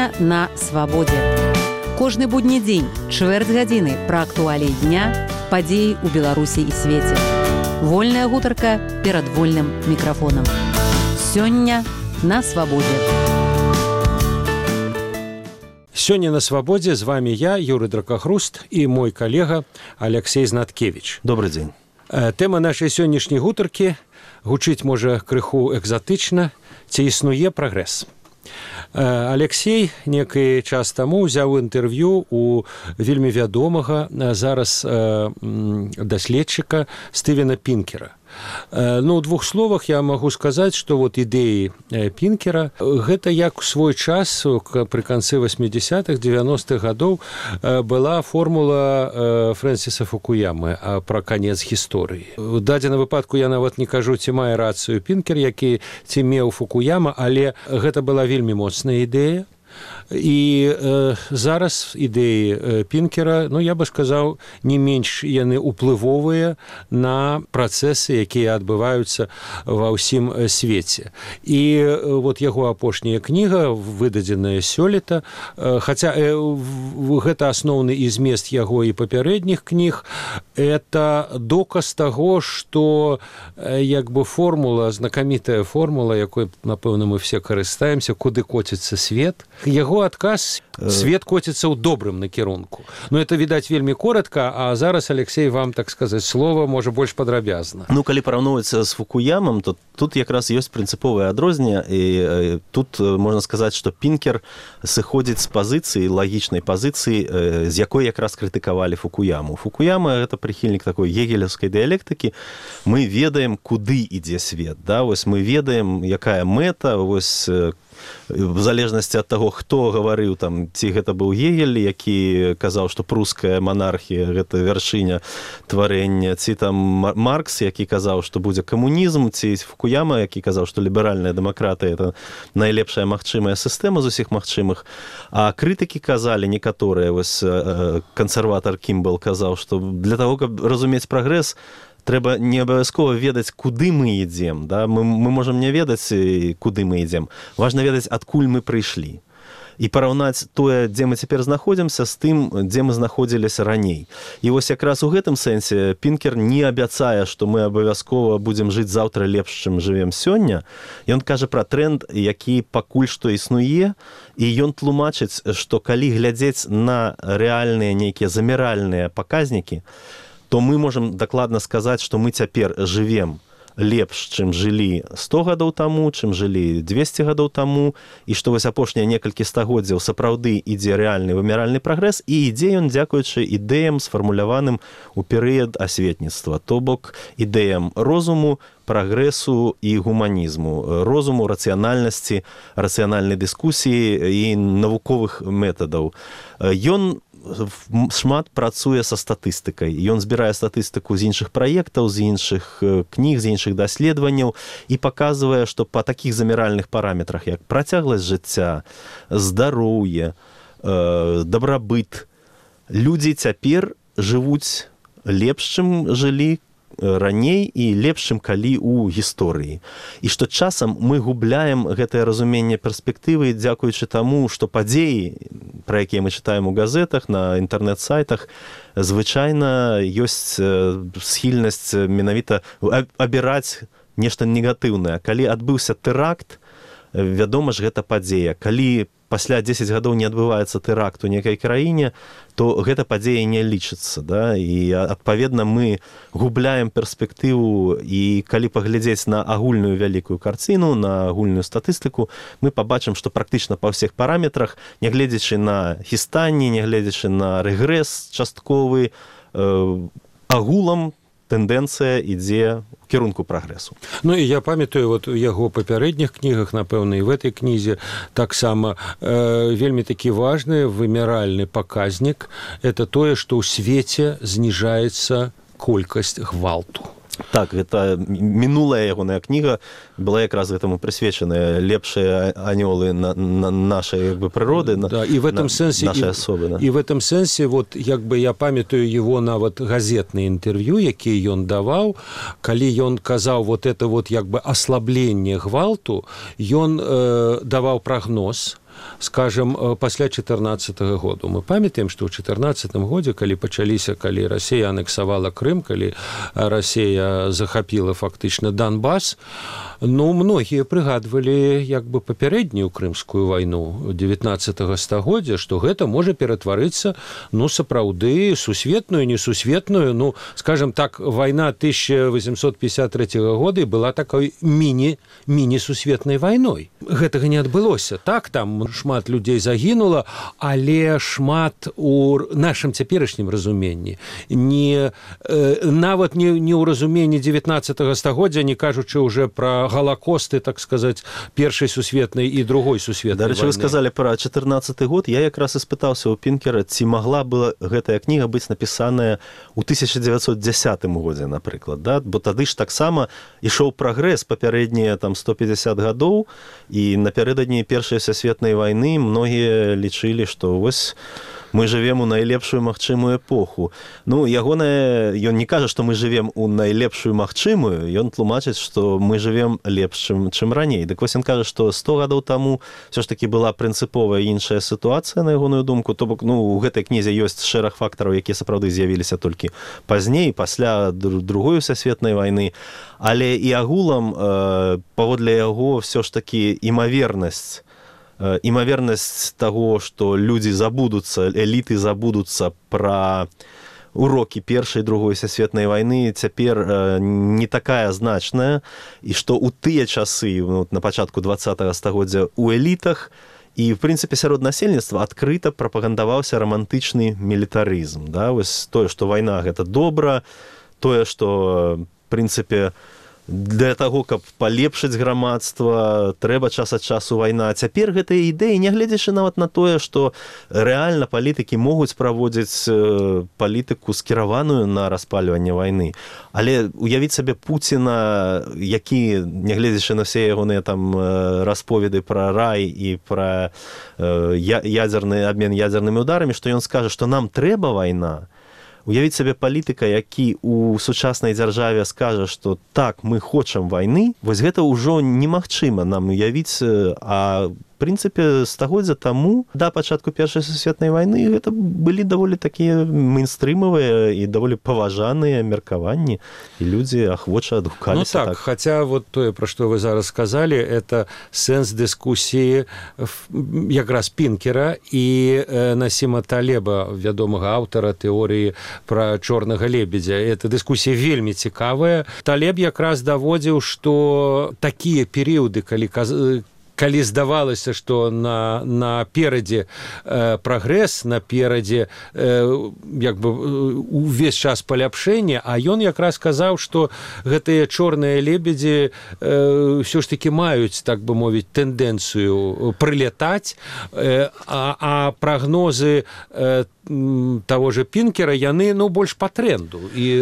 Сёння на свабодзе. Кожны будні дзень, чвэрць гадзіны пра актуаліі дня, падзеі ў Беларусі і свеце. Вольная гутарка перад вольным мікрафонам. Сёння на свабодзе. Сёння на свабодзе з вами я, Юрый Дракахруст, і мой калега Алексей Знаткевич. Добрый дзень. Тэма нашай сённяшняй гутаркі гучыць можа крыху экзатычна, ці існуе прагрэс. Алексей некий час таму ўзяў інтэрв'ю у вельмі вядомага зараз даследчыка Стывена Пінкера. Ну, у двух словах я могу сказать, что вот идеи Пінкера гэта як у свой час при канцы 80-х, 90-х годов была формула Фрэнсіса Фукуямы про конец гісторыі. У дадзеным выпадку я нават не кажу, ці мае рацыю Пінкер, які ці меў Фукуяма, але гэта была вельмі моцная ідэя. І зараз ідэі Пінкера, ну, я бы сказаў, не менш яны ўплывовыя на працэсы, якія адбываюцца ва ўсім свеце. І вот яго апошняя кніга, выдадзеная сёлета, хаця гэта асноўны і змест яго і папярэдніх кніг, это доказ таго, што як бы формула, знакамітая формула, якой, напэўна, мы все карыстаемся, куды коціцца свет, яго адказ свет коціцца ў добрым накірунку. Ну, это, відаць, вельмі коротка, а зараз, Алексей, вам, так сказаць, слова, можа, больш падрабязна. Ну, калі параўноўваць з Фукуямам, то тут якраз ёсць прынцыповае адрозненне, і тут можна сказаць, што Пінкер сыходзіць з пазіцыі, лагічнай пазіцыі, з якой якраз крытыкавалі Фукуяму. Фукуяма – гэта прыхільнік такой гегелевскай дыялектыкі. Мы ведаем, куды ідзе свет, да? Вось мы ведаем, якая мэта, вось в залежнасці ад таго, хто гаварыў там, ці гэта быў Гегель, які казаў, што пруская манархія – гэта вяршыня тварэння, ці там Маркс, які казаў, што будзе камунізм, ці Фукуяма, які казаў, што ліберальная дэмакратыя – это найлепшая магчымая сістэма з усіх магчымых. А крытыкі казалі некаторыя, вось кансерватар Кімбл казаў, што для таго, каб разумець прагрэс, трэба не абавязкова ведаць, куды мы ідзем. Да? Мы можам не ведаць, куды мы ідзем. Важна ведаць, адкуль мы прыйшлі. І параўнаць тое, дзе мы цяпер знаходзімся, з тым, дзе мы знаходзіліся раней. І вось якраз у гэтым сэнсе Пінкер не абяцае, што мы абавязкова будзем жыць заўтра лепш, чым жывем сёння. Ён кажа пра тренд, які пакуль што існуе, і ён тлумачыць, што калі глядзець на рэальныя нейкія заміральныя паказнікі, то мы можам дакладна сказаць, што мы цяпер жывем лепш, чым жылі 100 гадоў таму, чым жылі 200 гадоў таму, і што вось апошнія некалькі стагоддзяў сапраўды ідзе рэальны вымяральны прагрэс, і ідзе ён дзякуючы ідэям, сфармуляваным у перыяд асветніцтва, то бок ідэям розуму, прагрэсу і гуманізму, розуму, рацыянальнасці, рацыянальнай дыскусіі і навуковых метадаў. Ён шмат працуе са статыстыкай. Ён збірае статыстыку з іншых праектаў, з іншых кніг, з іншых даследаванняў і паказвае, што па такіх заміральных параметрах, як працягласць жыцця, здароўе, дабрабыт, людзі цяпер жывуць лепш, чым жылі раней і лепш, чым калі ў гісторыі. І што часам мы губляем гэтае разуменне перспектывы, дзякуючы таму, што падзеі, пра якія мы чытаем у газетах, на інтэрнэт-сайтах, звычайна ёсць схільнасць менавіта абіраць нешта негатыўнае. Калі адбыўся тэракт, вядома ж, гэта падзея. Калі пасля 10 гадоў не адбываецца тэракт у некай краіне, то гэта падзея не лічыцца. Да? І, адпаведна, мы губляем перспектыву, і калі паглядзець на агульную вялікую карціну, на агульную статыстыку, мы пабачым, што практычна па ўсіх параметрах, нягледзячы на хістанні, нягледзячы на рэгрэс частковы, агулам тэндэнцыя ідзе ў кірунку прагрэсу. Ну, і я памятаю, вот у яго папярэдніх кнігах, напэўна, і в этой кнізе таксама вельмі такі важны вымяральны паказнік – это тое, што ў свеце зніжаецца колькасць гвалту. Так, гэта мінулая ягоная кніга была якраз гэтаму прысвечаная, лепшыя анёлы нашай як бы прыроды, да, і в этом сэнсе нашай асобы. Да. І в этом сэнсе, вот як бы я памятаю его нават газетнае інтэрв'ю, які ён даваў, калі ён казаў вот это вот як бы аслабленне гвалту, ён даваў прагноз, скажем, пасля 14 году. Мы памятаем, што ў 14 годзе, калі Расія анексавала Крым, калі Расія захапіла фактычна Донбас, многія прыгадвалі як бы папярэднюю крымскую вайну 19 стагоддзя, што гэта можа ператварыцца, сапраўды сусветную, несусветную, скажем так, вайна 1853 года была такой міні-сусветнай вайной. Гэтага не адбылося. Так, там шмат людзей загінула, але шмат у нашым цяперашнім разуменні. Нават не ў разуменні 19 стагоддзя, не кажучы уже пра галакосты, так сказаць, першай сусветнай і другой сусветнай вайны. Дарэчы, вы сказалі пра 14 год. Я якраз і спытаўся ў Пінкера, ці магла была гэтая кніга быць напісаная ў 1910 годзе, напрыклад, да? Бо тады ж таксама ішоў прагрэс папярэднія 150 гадоў, і напярэдадні першай сусветнай вайны многія лічылі, што вось мы жывем у найлепшую магчымую эпоху. Ён не кажа, што мы жывем у найлепшую магчымую, ён тлумачыць, што мы жывем лепш, чым раней. Дык вось ён кажа, што 100 гадоў таму ўсё ж такі была прынцыповая іншая сітуацыя, на ягоную думку. То бок, у гэтай кнізе ёсць шэраг фактараў, якія сапраўды з'явіліся толькі пазней, пасля другой сусветнай вайны. Але і агулам, паводле яго, ўсё ж такі імавернасць таго, што людзі забудуцца, эліты забудуцца пра урокі першай і другой сусветнай вайны, цяпер не такая значная, і што ў тыя часы, на пачатку 20-го стагоддзя, у элітах і, в прынцыпе, сярод насельніцтва адкрыта прапагандаваўся рамантычны мілітарызм. Да? Вось тое, што вайна – гэта добра, тое, што, в прынцыпе, для таго, каб палепшыць грамадства, трэба час ад часу вайна. Цяпер гэтыя ідэі, нягледзячы нават на тое, што рэальна палітыкі могуць праводзіць палітыку скіраваную на распальванне вайны. Але уявіць сабе Пуціна, які, нягледзячы на ўсе ягоныя там расповеды пра рай і пра ядзерны абмен ядзернымі ударамі, што ён скажа, што нам трэба вайна. Уявіць сабе палітыка, які ў сучаснай дзяржаве скажа, што так, мы хочам вайны, вось гэта ўжо немагчыма нам уявіць, а в прынцыпе, стагоддзя таму, да пачатку першай сусветнай вайны, гэта былі даволі такія мейнстрымавыя і даволі паважаныя меркаванні, і людзі ахвоча адгукаліся. Так, хаця вот тое, пра што вы зараз сказалі, это сэнс дыскусіі якраз Пінкера і Насіма Талеба, вядомага аўтара тэорыі пра чорнага лебедзя. Эта дыскусія вельмі цікавая. Талеб якраз даводзіў, што такія перыяды, калі здавалася, што наперадзе прагрэс, наперадзе увесь час паляпшэння, а ён якраз казаў, што гэтыя чорныя лебедзі ўсё ж такі маюць, так бы мовіць, тэндэнцыю прылятаць, а прагнозы таго же Пінкера, яны, больш па тренду. І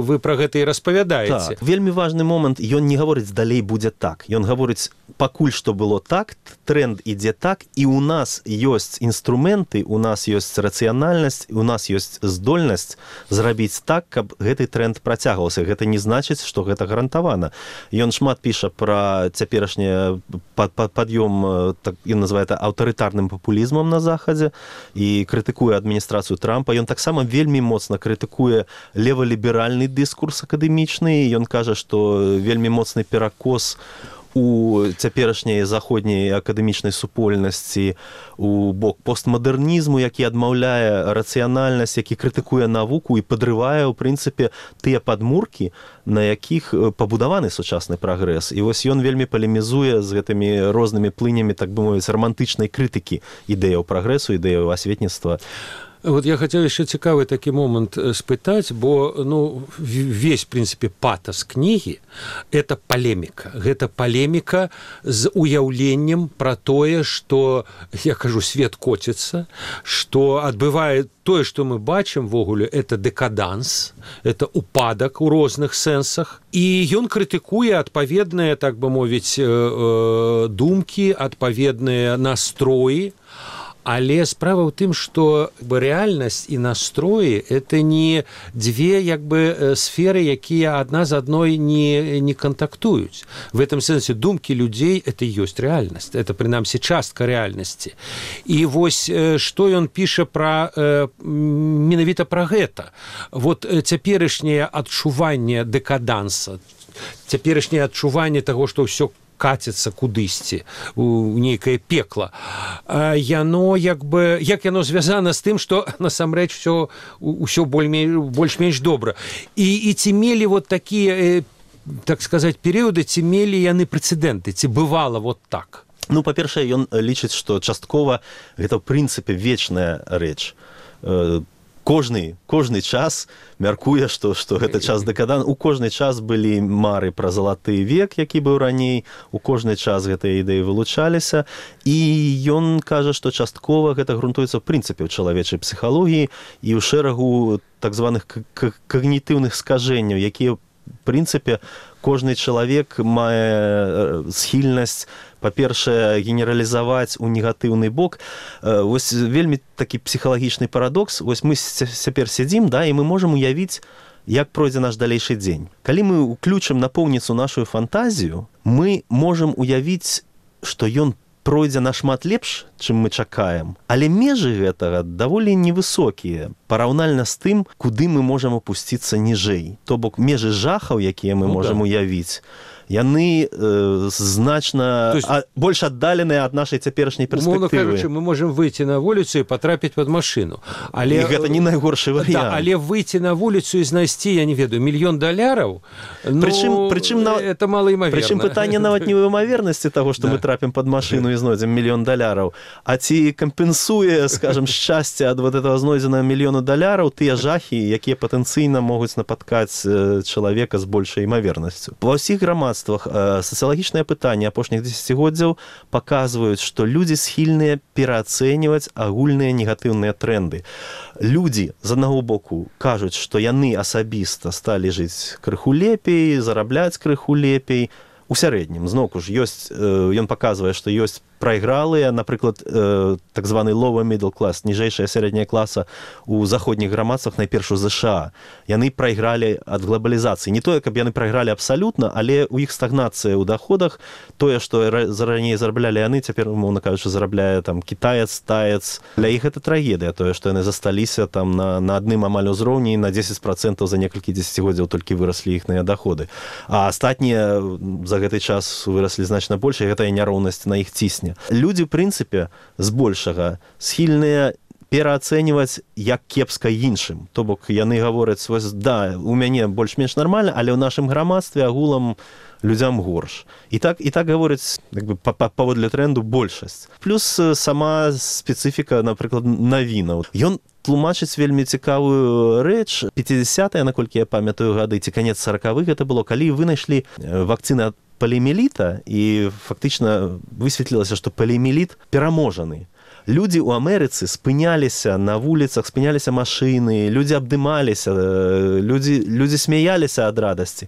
вы пра гэта і распавядаеце. Так, вельмі важны момант, ён не гаворыць далей будзе так. Ён гаворыць, пакуль што было так, тренд ідзе так, і у нас ёсць інструменты, у нас ёсць рацыянальнасць, у нас ёсць здольнасць зрабіць так, каб гэты тренд працягваўся. Гэта не значыць, што гэта гарантавана. Ён шмат піша пра цяперашні пад'ём, так, ён называе это аўтарытарным папулізмам на Захадзе, і крытыкуе адміністрацыю Трампа. Ён таксама вельмі моцна крытыкуе леваліберальны дыскурс акадэмічны. Ён кажа, што вельмі моцны перакос у цяперашняй заходняй акадэмічнай супольнасці у бок постмадэрнізму, які адмаўляе рацыянальнасць, які крытыкуе навуку і падрывае, ў прынцыпе, тыя падмуркі, на якіх пабудаваны сучасны прагрэс. І вось ён вельмі палемізуе з гэтымі рознымі плынямі, так бы мовіць, рамантычнай крытыкі ідэяў прагрэсу, ідэяў асветніцтва. Вот я хотел еще цікавый такі момант спытаць, бо весь, в принципе, патас кнігі – это палеміка. Гэта палеміка з уяўленнем пра тое, што, я кажу, свет коціцца, што адбывае тое, што мы бачым вогуле, это дэкаданс, это упадак у розных сэнсах. І ён крытыкуе адпаведныя, так бы мовіць, думкі, адпаведныя настроі. Але справа ў тым, што рэальнасць і настроі это не дзве сферы, якія адна з адной не кантактуюць. В этом сэнсе думкі людзей это ёсць рэальнасць, это прынамсі частка рэальнасці. І вось што ён піша менавіта пра гэта. Вот цяперашняе адчуванне дэкаданса, цяперашняе адчуванне таго, што ўсё каціцца кудысьці у нейкае пекла. Яно як яно звязана з тым, што насамрэч ўсё больш-менш добра. І ці мелі вот такія, так сказаць, перыяды, ці мелі яны прэцэдэнты, ці бывала вот так? Ну, па-першае, ён лічыць, што часткова гэта ў прынцыпе вечная рэч. Кожны час мяркуе, што гэта час дэкадан. У кожны час былі мары пра залаты век, які быў раней, у кожны час гэтыя ідэі вылучаліся, і ён кажа, што часткова гэта грунтуецца ў прынцыпе ў чалавечай псіхалогіі і ў шэрагу так званых когнітыўных скажэнняў, якія, в прынцыпе, кожны чалавек мае схільнасць, па-першае, генералізаваць у негатыўны бок. Вось вельмі такі псіхалагічны парадокс. Вось мы цяпер сядзім, да, і мы можам уявіць, як пройдзе наш далейшы дзень. Калі мы ўключым напоўніцу нашу фантазію, мы можам уявіць, што ён пройдзе нашмат лепш, чым мы чакаем. Але межы гэтага даволі невысокія, параўнальна з тым, куды мы можам опусціцца ніжэй. То бок межы жахаў, якія мы можам уявіць, яны значна больш аддаленыя ад нашай цяперашняй перспектывы. Умоўна кажучы, мы можам выйти на вуліцу і патрапіць пад машыну. І гэта не найгоршы варыянт. Да, але выйти на вуліцу і знайсці, я не ведаю, $1 000 000, прычым это малаімаверна. Прычым пытанне нават не ў імавернасці таго, што мы трапім пад машыну і знойдзем $1 000 000, а ці кампенсуе, скажем, шчасце ад вот этого знойдзенага $1 000 000 тыя жахі, якія патэнцыйна могуць напаткаць чалавека з большай імавернасцю. Ва ўсіх грамадствах сацыялагічныя пытанні апошніх дзесяцігоддзяў паказваюць, што людзі схільныя пераацэньваць агульныя негатыўныя трэнды. Людзі, з аднаго боку, кажуць, што яны асабіста сталі жыць крыху лепей, зарабляць крыху лепей. У сярэднім, зноўку ж, ён паказвае, што ёсць прайгралыя, напрыклад, так званы lower middle class, ніжэйшая сярэдняя класа у заходніх грамадствах, найперш у ЗША. Яны прайгралі ад глобалізацыі. Не тое, каб яны прайгралі абсалютна, але у іх стагнацыя ў доходах, тое, што раней зараблялі яны, цяпер, умоўна кажучы, зарабляе там кітаец, таец. Для іх гэта трагедыя, тое, што яны засталіся там на адным амаль узроўні, на 10% за некалькі дзесяцігоддзяў толькі выраслі іхныя доходы. А астатнія за гэты час выраслі значна больш, і гэтая няроўнасць на іх цісне. Людзі, в прынцыпе, збольшага схільныя пераацэньваць як кепска іншым. То бок яны гавораць, да, у мяне больш-менш нармальна, але ў нашым грамадстве агулам людзям горш. І так гавораць паводле трэнду большасць. Плюс сама спецыфіка, напрыклад, навінаў. Ён тлумачыць вельмі цікавую рэч. 50-е, наколькі я памятаю гады, ці канец 40-х гэта было, калі вынайшлі вакцыны ад поліэміліта, і фактычна высветлілася, што поліэміліт пераможаны. Людзі ў Амерыцы спыняліся на вуліцах, спыняліся машыны, людзі абдымаліся, людзі смяяліся ад радасці.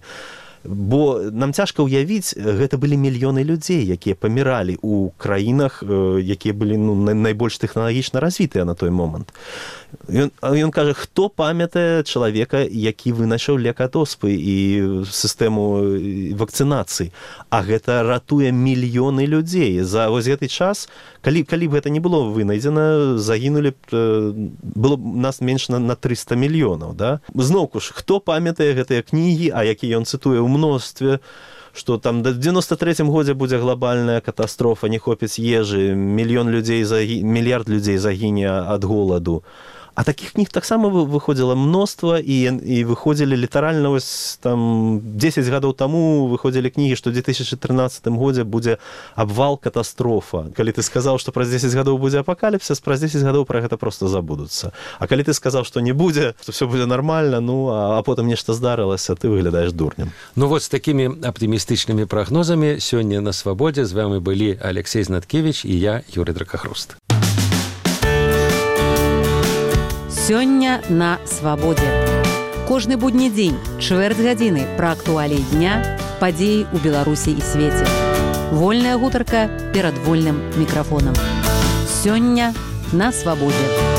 Бо нам цяжка ўявіць, гэта былі мільёны людзей, якія паміралі ў краінах, якія былі найбольш тэхналагічна развітыя на той момант. Ён кажа, хто памятае чалавека, які вынайшаў лек ад оспы і сістэму вакцынацыі. А гэта ратуе мільёны людзей. За вось гэты час, калі б гэта не было вынайдзена, загінулі было б нас менш на 300 мільёнаў. Да? Зноўку ж, хто памятае гэтыя кнігі, а які ён цытуе ў мностве, што там да 93-м годзе будзе глобальная катастрофа, не хопіць ежы, мільярд людзей загіне ад голаду. А такіх кніг таксама выходзіла мноства, і выходзілі літаральна, вось там 10 гадоў таму выходзілі кнігі, што ў 2013 годзе будзе абвал, катастрофа. Калі ты сказаў, што праз 10 гадоў будзе апакаліпсіс, праз 10 гадоў пра гэта проста забудуцца. А калі ты сказаў, што не будзе, што все будзе нармальна, а потым нешта здарылася, ты выглядаеш дурнем. Ну вот з такімі аптымістычнымі прагнозамі сёння на Свабодзе з вами былі Алексей Знаткевич і я, Юрий Дракахруст. Сёння на Свабодзе. Кожны будні дзень, чвэрць гадзіны пра актуаліі дня, падзеі ў Беларусі і свеце. Вольная гутарка перад вольным мікрафонам. Сёння на свабодзе.